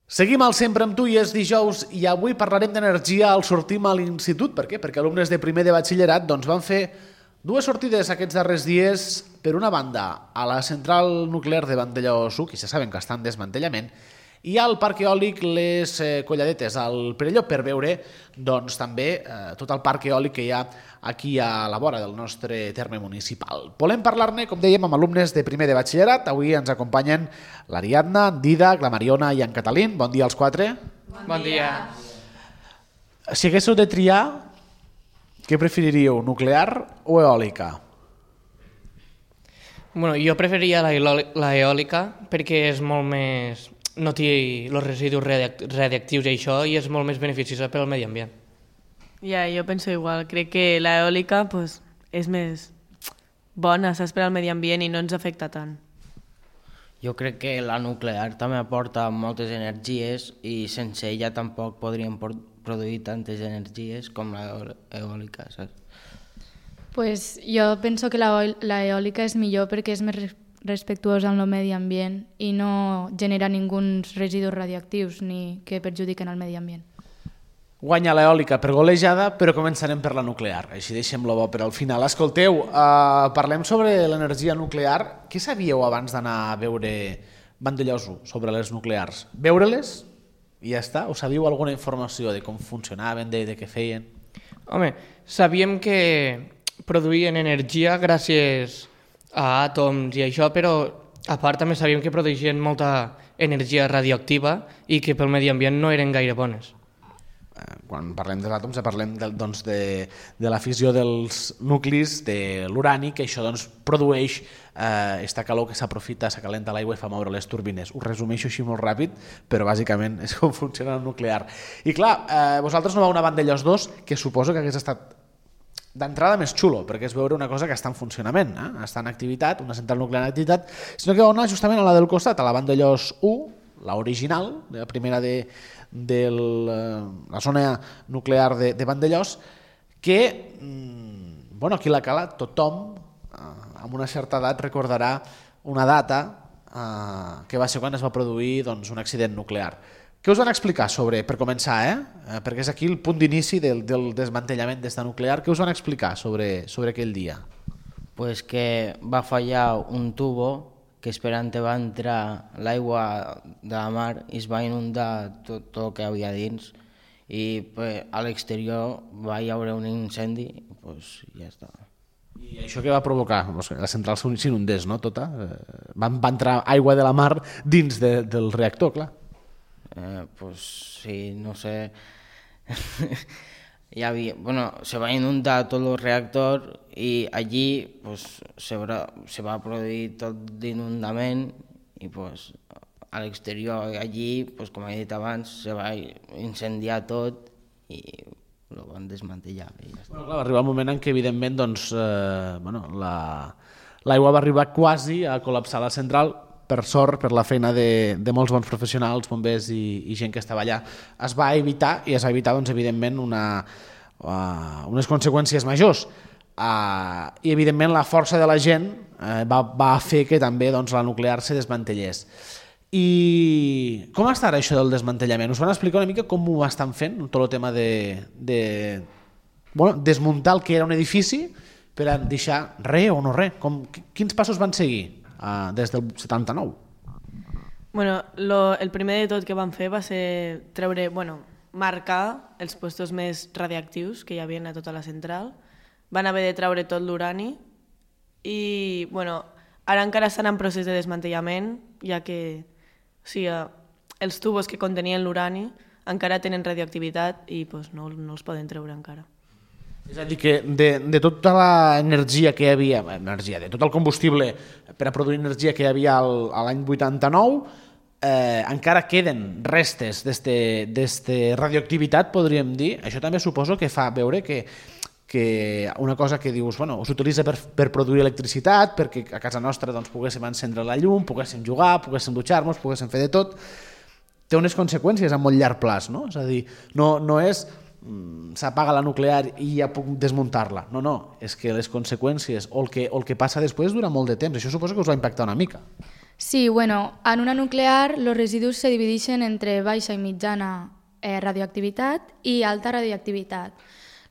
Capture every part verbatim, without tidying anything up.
Seguim al Sempre amb tu i és dijous i avui parlarem d'energia al sortim a l'institut. Per què? Perquè alumnes de primer de batxillerat doncs, van fer dues sortides aquests darrers dies, per una banda a la central nuclear de Vandellòs u, que ja saben que està en desmantellament, i al parc eòlic Les eh, Colladetes, al Perelló, per veure doncs, també eh, tot el parc eòlic que hi ha aquí a la vora del nostre terme municipal. Volem parlar-ne, com dèiem, amb alumnes de primer de batxillerat. Avui ens acompanyen l'Ariadna, en Didac, la Mariona i en Catalín. Bon dia als quatre. Bon, bon dia. Si haguéssiu de triar, què preferiríeu, nuclear o eòlica? Bueno, jo preferiria la, eòlica, la eòlica perquè és molt més... no té els residus radiactius i això, i és molt més beneficiosa per al medi ambient. Ja, jo penso igual. Crec que l'eòlica pues, és més bona, saps, per al medi ambient i no ens afecta tant. Jo crec que la nuclear també aporta moltes energies i sense ella tampoc podríem produir tantes energies com l'eòlica, saps? Pues jo penso que l'eòlica és millor perquè és més respectuosa amb el medi ambient i no genera ninguns residus radioactius ni que perjudiquen el medi ambient. Guanya l'eòlica per golejada, però començarem per la nuclear. Així deixem-lo bo per al final. Escolteu, uh, parlem sobre l'energia nuclear. Què sabíeu abans d'anar a veure Vandellòs u sobre les nuclears? Veure-les i ja està? O sabíeu alguna informació de com funcionaven, de, de què feien? Home, sabíem que produïen energia gràcies a àtoms i això, però a part també sabíem que produïen molta energia radioactiva i que pel medi ambient no eren gaire bones. Quan parlem dels àtoms parlem de, doncs de, de la fissió dels nuclis de l'urani, que això doncs, produeix eh, esta calor que s'aprofita, s'acalenta l'aigua i fa moure les turbines. Ho resumeixo així molt ràpid, però bàsicament és com funciona el nuclear. I clar, eh, vosaltres no vau anar a Vandellòs dos, que suposo que hagués estat d'entrada més xulo, perquè és veure una cosa que està en funcionament, eh? Està en activitat, una central nuclear en activitat, sinó que vau anar justament a la del costat, a la Vandellòs u, la original, la primera de, de la zona nuclear de, de Vandellòs, que, bueno, aquí a la cala tothom eh, amb una certa edat recordarà una data eh, que va ser quan es va produir doncs, un accident nuclear. Què us van explicar sobre, per començar, eh? perquè és aquí el punt d'inici del, del desmantellament d'esta nuclear, què us van explicar sobre, sobre aquell dia? Pues que va fallar un tubo que esperant va entrar l'aigua de la mar i es va inundar tot, tot el que havia dins i pues, a l'exterior va hi haver un incendi i pues, ja està. I això què va provocar? La central s'inundés, no? Tota? Va, va entrar aigua de la mar dins de, del reactor, clar. Eh, pues sí, no sé, ya había, bueno, se va a inundar todo el reactor y allí pues se va, se va a produir tot d'inundament i pues a l'exterior allí, pues com he dit abans, se va incendiar tot i lo van desmantellar. I ja està. Bueno, clar, va arribar el moment en què evidentment doncs, eh, bueno, la, l'aigua va arribar quasi a col·lapsar la central. Per sort, per la feina de, de molts bons professionals, bombers i, i gent que estava allà, es va evitar, i es va evitar, doncs, evidentment, una, uh, unes conseqüències majors. Uh, I, evidentment, la força de la gent uh, va, va fer que també doncs, la nuclear se desmantellés. I com està ara això del desmantellament? Us van explicar una mica com ho estan fent, tot el tema de, de bueno, desmuntar el que era un edifici per a deixar res o no res? Com, quins passos van seguir? Uh, des del setanta-nou. Bueno, lo, el primer de tot que van fer va ser treure, bueno, marcar els puestos més radiactius que hi havia a tota la central. Van haver de treure tot l'urani i, bueno, ara encara estan en procés de desmantellament, ja que o sigui, els tubos que contenien l'urani encara tenen radioactivitat i pues, no, no els poden treure encara. És a dir, que de, de tota l'energia que hi havia, energia, de tot el combustible per a produir energia que hi havia al, a l'any vuitanta-nou, eh, encara queden restes d'esta radioactivitat, podríem dir. Això també suposo que fa veure que, que una cosa que dius, bueno, s'utilitza per, per produir electricitat, perquè a casa nostra doncs, poguéssim encendre la llum, poguéssim jugar, poguéssim dutxar-nos, poguéssim fer de tot, té unes conseqüències a molt llarg plaç, no? És a dir, no, no és s'apaga la nuclear i ja puc desmuntar-la. No, no, és que les conseqüències o el que, o el que passa després dura molt de temps. Això suposo que us va impactar una mica. Sí, bueno, en una nuclear los residus se divideixen entre baixa i mitjana eh, radioactivitat i alta radioactivitat.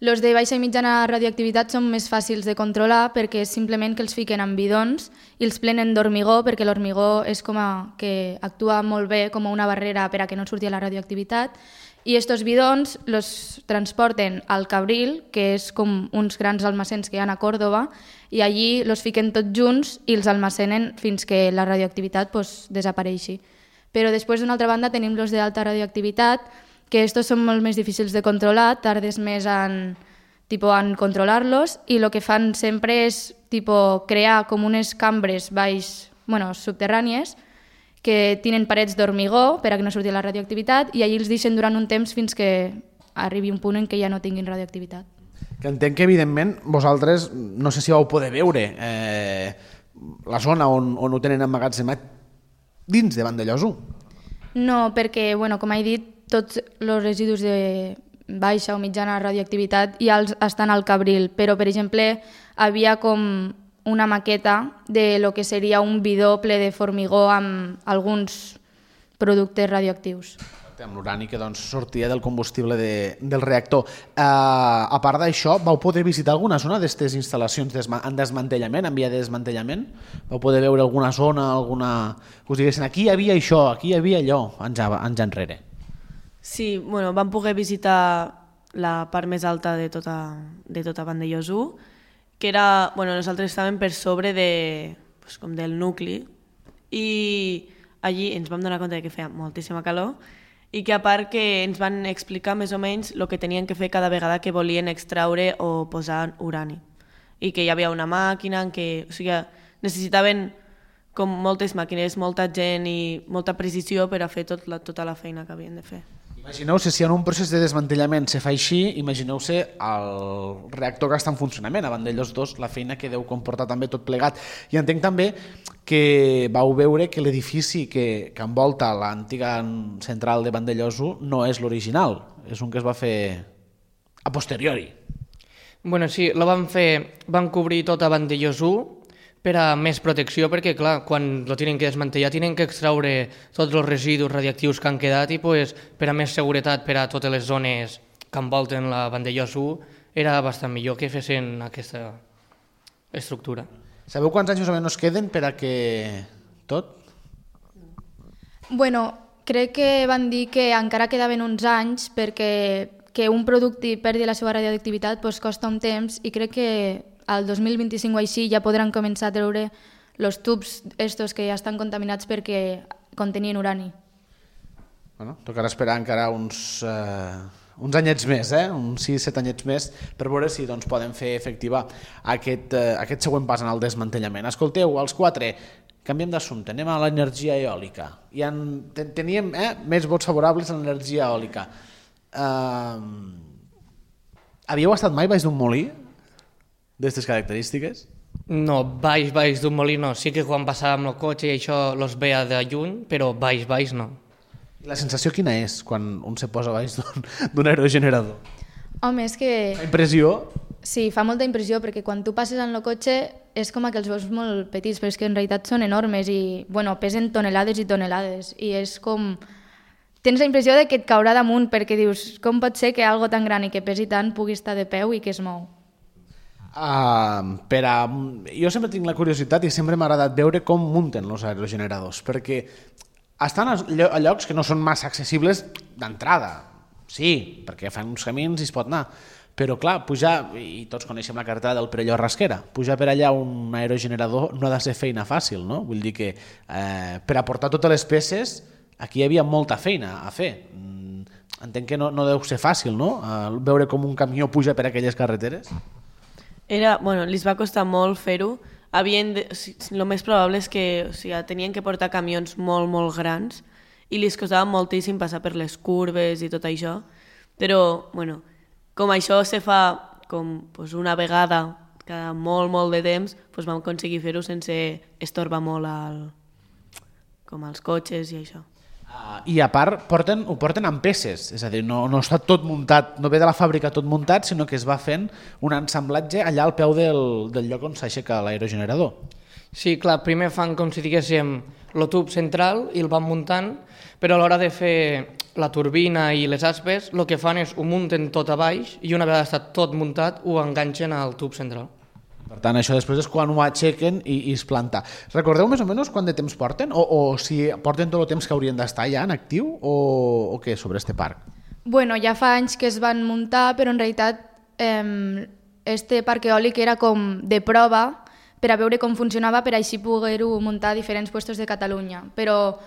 Los de baixa i mitjana radioactivitat són més fàcils de controlar perquè és simplement que els fiquen en bidons i els plenen d'hormigó, perquè l'hormigó és com a, que actua molt bé com una barrera per a que no surti la radioactivitat, i estos bidons los transporten al Cabril, que és com uns grans almacens que hi ha a Còrdoba, i allí los fiquen tots junts i els almacenen fins que la radioactivitat pues, desapareixi. Però després, d'una altra banda, tenim los d'alta radioactivitat, que estos són molt més difícils de controlar, tardes més en, tipo, en controlar-los, i el que fan sempre és tipo, crear com unes cambres baix, bueno, subterrànies, que tenen parets d'hormigó per a que no surti la radioactivitat, i allí els deixen durant un temps fins que arribi un punt en què ja no tinguin radioactivitat. Que entenc que, evidentment, vosaltres, no sé si vau poder veure eh, la zona on, on ho tenen emmagatzemat dins de Vandellòs u. No, perquè, bueno, com he dit, tots els residus de baixa o mitjana radioactivitat ja els estan al Cabril, però, per exemple, havia com una maqueta de lo que seria un bidó ple de formigó amb alguns productes radioactius. Amb l'urani que doncs, sortia del combustible de, del reactor. Uh, a part d'això, vau poder visitar alguna zona d'aquestes instal·lacions desma en desmantellament, en via de desmantellament? Vau poder veure alguna zona, alguna... us diguessin, aquí hi havia això, aquí hi havia allò, anys, anys enrere. Sí, bueno, vam poder visitar la part més alta de tota, de tota Vandellòs u, que era, bueno, nosaltres estàvem per sobre de, pues, com del nucli, i allí ens vam donar compte que feia moltíssima calor, i que a part que ens van explicar més o menys el que tenien que fer cada vegada que volien extraure o posar urani. I que hi havia una màquina en què, o sigui, necessitaven com moltes màquines, molta gent i molta precisió per a fer tot la, tota la feina que havien de fer. Imagineu-se, si en un procés de desmantellament se fa així, imagineu-se el reactor que està en funcionament, a Vandellòs dos, la feina que deu comportar també tot plegat. I entenc també que vau veure que l'edifici que, que envolta l'antiga central de Vandellòs u no és l'original, és un que es va fer a posteriori. Bueno, sí, lo van fer, van cobrir tota Vandellòs u per a més protecció, perquè clar, quan lo tienen que desmantellar tienen que extraure tots els residus radioactius que han quedat i pues, per a més seguretat per a totes les zones que envolten la Vandellòs u era bastant millor que fessin aquesta estructura. Sabeu quants anys més o menys queden per a que tot? Bueno, crec que van dir que encara quedaven uns anys perquè que un producte perdi la seva radioactivitat pues, costa un temps, i crec que al dos mil vint-i-cinc o així ja podran començar a treure els tubs estos que ja estan contaminats perquè contenien urani. Bueno, tocarà esperar encara uns, eh, uns anyets més, eh? uns sis set anyets més, per veure si doncs, poden fer efectiva aquest, eh, aquest següent pas en el desmantellament. Escolteu, els quatre, canviem d'assumpte, anem a l'energia eòlica. I en, ten, teníem eh, més vots favorables a l'energia eòlica. Eh, havíeu estat mai baix d'un molí d'aquestes característiques? No, baix, baix d'un molí no. Sí que quan passàvem el cotxe i això los veia de lluny, però baix, baix no. I la sensació quina és quan un se posa baix d'un aerogenerador? Home, és que... La impressió? Sí, fa molta impressió, perquè quan tu passes en el cotxe és com que els veus molt petits, però és que en realitat són enormes i bueno, pesen tonelades i tonelades. I és com... Tens la impressió de que et caurà damunt, perquè dius, com pot ser que algo tan gran i que pesi tant pugui estar de peu i que es mou? Uh, per a... Jo sempre tinc la curiositat i sempre m'ha agradat veure com munten els aerogeneradors, perquè estan a llocs que no són massa accessibles d'entrada. Sí, perquè fan uns camins i es pot anar, però clar, pujar, i tots coneixem la carretera del Perelló Rasquera, pujar per allà un aerogenerador no ha de ser feina fàcil, no? Vull dir que eh, per aportar totes les peces aquí hi havia molta feina a fer. Entenc que no, no deu ser fàcil, no? Uh, veure com un camió puja per aquelles carreteres. Era, bueno, li va costar molt fer-ho. Havien de, o sigui, el més probable és que o sigui, tenien que portar camions molt, molt grans i li costava moltíssim passar per les curves i tot això. Però, bueno, com això se fa com, pues, una vegada cada molt, molt de temps, pues, vam aconseguir fer-ho sense estorbar molt al, com als cotxes i això. Uh, I a part porten, ho porten amb peces, és a dir, no, no està tot muntat, no ve de la fàbrica tot muntat, sinó que es va fent un ensamblatge allà al peu del, del lloc on s'aixeca l'aerogenerador. Sí, clar, primer fan com si diguéssim el tub central i el van muntant, però a l'hora de fer la turbina i les aspes, el que fan és ho munten tot a baix i una vegada està tot muntat ho enganxen al tub central. Per tant, això després és quan ho aixequen i, i es planta. Recordeu més o menys quant de temps porten? O, o si porten tot el temps que haurien d'estar ja en actiu o, o què sobre este parc? Bueno, ja fa anys que es van muntar, però en realitat eh, este parc eòlic era com de prova per a veure com funcionava, per així poder-ho muntar a diferents puestos de Catalunya. Però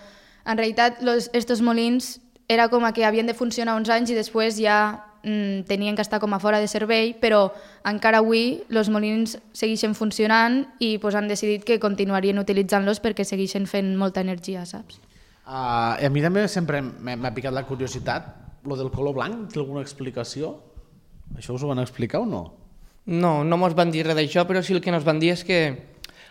en realitat los, estos molins era com que havien de funcionar uns anys i després ja mm, tenien que estar com a fora de servei, però encara avui els molins segueixen funcionant i pues, han decidit que continuarien utilitzant-los perquè segueixen fent molta energia, saps? Uh, a mi també sempre m'ha picat la curiositat. Lo del color blanc, té alguna explicació? Això us ho van explicar o no? No, no mos van dir res d'això, però sí el que ens van dir és que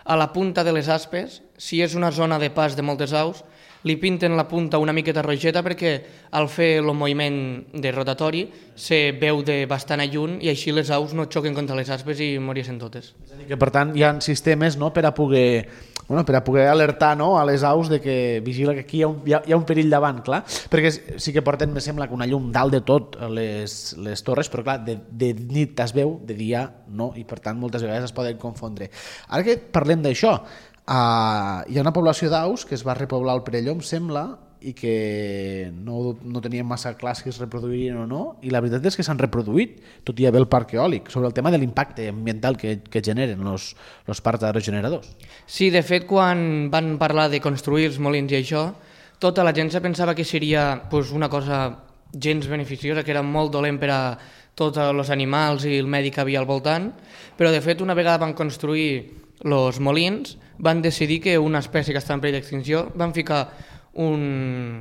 a la punta de les aspes, si és una zona de pas de moltes aus, li pinten la punta una miqueta rogeta perquè al fer el moviment de rotatori se veu de bastant a lluny i així les aus no xoquen contra les aspes i morien totes. És a dir, que per tant hi ha sistemes, no, per a poder, bueno, per a poder alertar, no, a les aus de que vigila que aquí hi ha un, hi ha, hi ha un perill davant, clar, perquè sí que porten, me sembla, que una llum dalt de tot les, les torres, però clar, de, de nit es veu, de dia no, i per tant moltes vegades es poden confondre. Ara que parlem d'això, Uh, hi ha una població d'aus que es va repoblar al Perelló, em sembla, i que no, no tenien massa clar si es reproduirien o no, i la veritat és que s'han reproduït, tot i haver el parc eòlic, sobre el tema de l'impacte ambiental que, que generen els parcs aerogeneradors. Sí, de fet, quan van parlar de construir els molins i això, tota la gent se pensava que seria pues, una cosa gens beneficiosa, que era molt dolent per a tots els animals i el medi que havia al voltant, però de fet una vegada van construir els molins, van decidir que una espècie que està en perill d'extinció van ficar un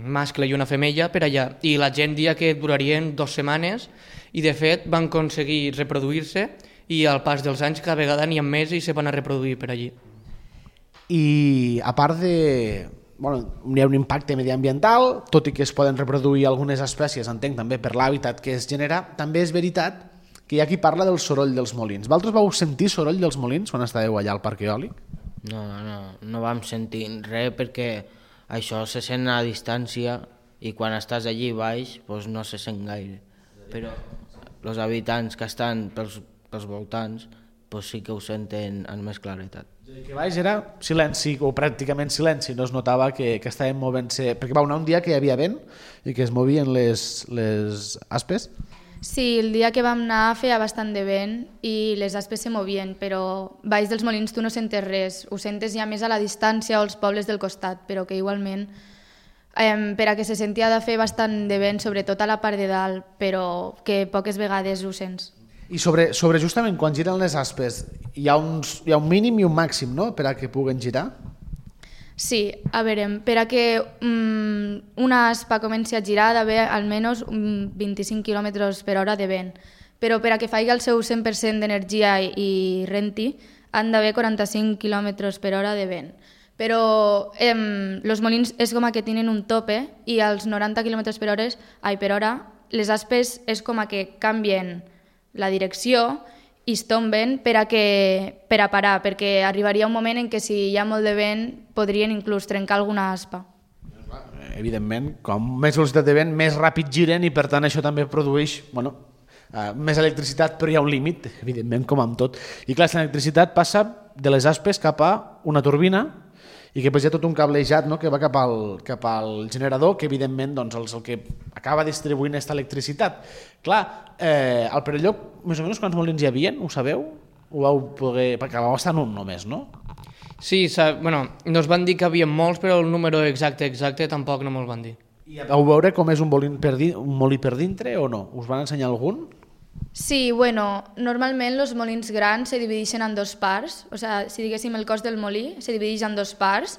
mascle i una femella per allà i la gent dia que durarien dues setmanes i de fet van aconseguir reproduir-se i al pas dels anys cada vegada n'hi ha més i se van a reproduir per allí. I a part de... Bueno, hi ha un impacte mediambiental, tot i que es poden reproduir algunes espècies, entenc també per l'hàbitat que es genera, també és veritat que hi ha qui parla del soroll dels molins. Vosaltres vau sentir soroll dels molins quan estàveu allà al parc eòlic? No, no, no, no vam sentir res perquè això se sent a distància i quan estàs allí baix doncs no se sent gaire. Però els habitants que estan pels, pels voltants doncs sí que ho senten amb més claretat. Que baix era silenci o pràcticament silenci, no es notava que, que estaven movent-se, perquè va anar un dia que hi havia vent i que es movien les, les aspes. Sí, el dia que vam anar feia bastant de vent i les aspes se movien, però baix dels molins tu no sentes res, ho sentes ja més a la distància o als pobles del costat, però que igualment eh, per a que se sentia de fer bastant de vent, sobretot a la part de dalt, però que poques vegades ho sents. I sobre, sobre justament quan giren les aspes, hi ha, uns, hi ha un mínim i un màxim, no?, per a que puguen girar? Sí, a veure, per a que um, una aspa comenci a girar ha d'haver almenys um, vint-i-cinc quilòmetres per hora de vent, però per a que faci el seu cent per cent d'energia i, i renti han d'haver quaranta-cinc quilòmetres per hora de vent. Però eh, els molins és com que tenen un tope i als noranta quilòmetres per hora, ai, per hora les aspes és com que canvien la direcció i es tomben per a, que, per a parar, perquè arribaria un moment en què si hi ha molt de vent podrien inclús trencar alguna aspa. Evidentment, com més velocitat de vent, més ràpid giren i per tant això també produeix bueno, uh, més electricitat, però hi ha un límit, evidentment, com amb tot. I clar, l'electricitat passa de les aspes cap a una turbina i que hi ha tot un cablejat, no?, que va cap al, cap al generador, que evidentment doncs, és el que acaba distribuint aquesta electricitat. Clar, eh, al Perelló, més o menys quants molins hi havia, ho sabeu? Ho vau poder... perquè vau estar en un només, no? Sí, bueno, nos van dir que havia molts, però el número exacte exacte tampoc no me'l van dir. I vau veure com és un, per di... un molí per dintre o no? Us van ensenyar algun? Sí, bueno, normalment els molins grans se divideixen en dos parts, o sigui, si diguéssim el cos del molí se divideix en dos parts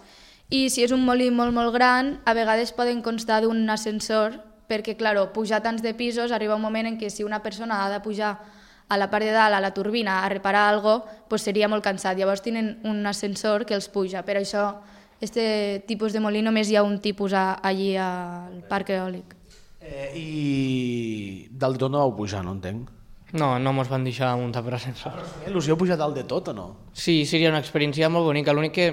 i si és un molí molt molt gran a vegades poden constar d'un ascensor perquè, clar, pujar tants de pisos arriba un moment en què si una persona ha de pujar a la part de dalt, a la turbina, a reparar alguna cosa, pues seria molt cansat. Llavors tenen un ascensor que els puja. Per això, aquest tipus de molí només hi ha un tipus a, allí al parc eòlic. Eh, I dalt de tot no vau pujar, no entenc? No, no mos van deixar muntar per ascensor. Us heu pujat dalt de tot o no? Sí, seria una experiència molt bonica. L'únic que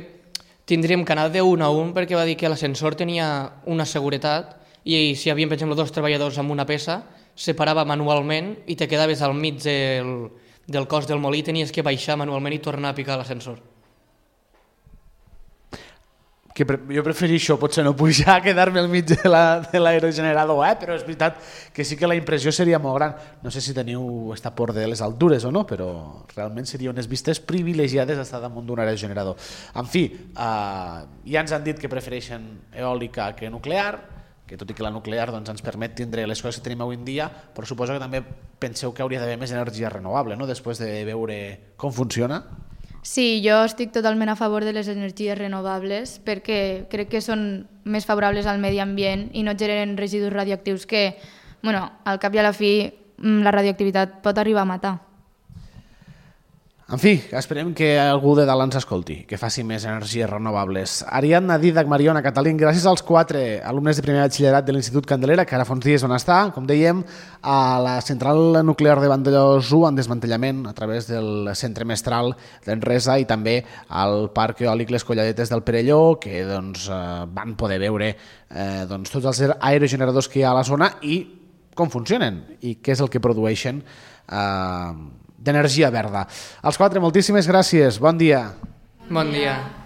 tindríem que anar d'un a un perquè va dir que l'ascensor tenia una seguretat i si hi havia, per exemple, dos treballadors amb una peça, separava manualment i te quedaves al mig del, del cos del molí i tenies que baixar manualment i tornar a picar l'ascensor. Que pre jo prefereixo potser no pujar, quedar-me al mig de l'aerogenerador, la, eh? Però és veritat que sí que la impressió seria molt gran. No sé si teniu esta por de les altures o no, però realment seria unes vistes privilegiades estar damunt d'un aerogenerador. En fi, eh, ja ens han dit que prefereixen eòlica que nuclear, que tot i que la nuclear doncs, ens permet tindre les coses que tenim avui en dia, però suposo que també penseu que hauria d'haver més energia renovable, no? Després de veure com funciona. Sí, jo estic totalment a favor de les energies renovables perquè crec que són més favorables al medi ambient i no generen residus radioactius que, bueno, al cap i a la fi, la radioactivitat pot arribar a matar. En fi, esperem que algú de dalt ens escolti, que faci més energies renovables. Ariadna, Didac, Mariona, Catalín, gràcies als quatre alumnes de primer batxillerat de l'Institut Candelera, que ara fa uns dies van estar, com dèiem, a la central nuclear de Vandellòs u en desmantellament a través del centre mestral d'Enresa i també al parc eòlic Les Colladetes del Perelló, que doncs, van poder veure eh, doncs, tots els aerogeneradors que hi ha a la zona i com funcionen i què és el que produeixen eh, d'energia verda. Els quatre, moltíssimes gràcies. Bon dia. Bon dia.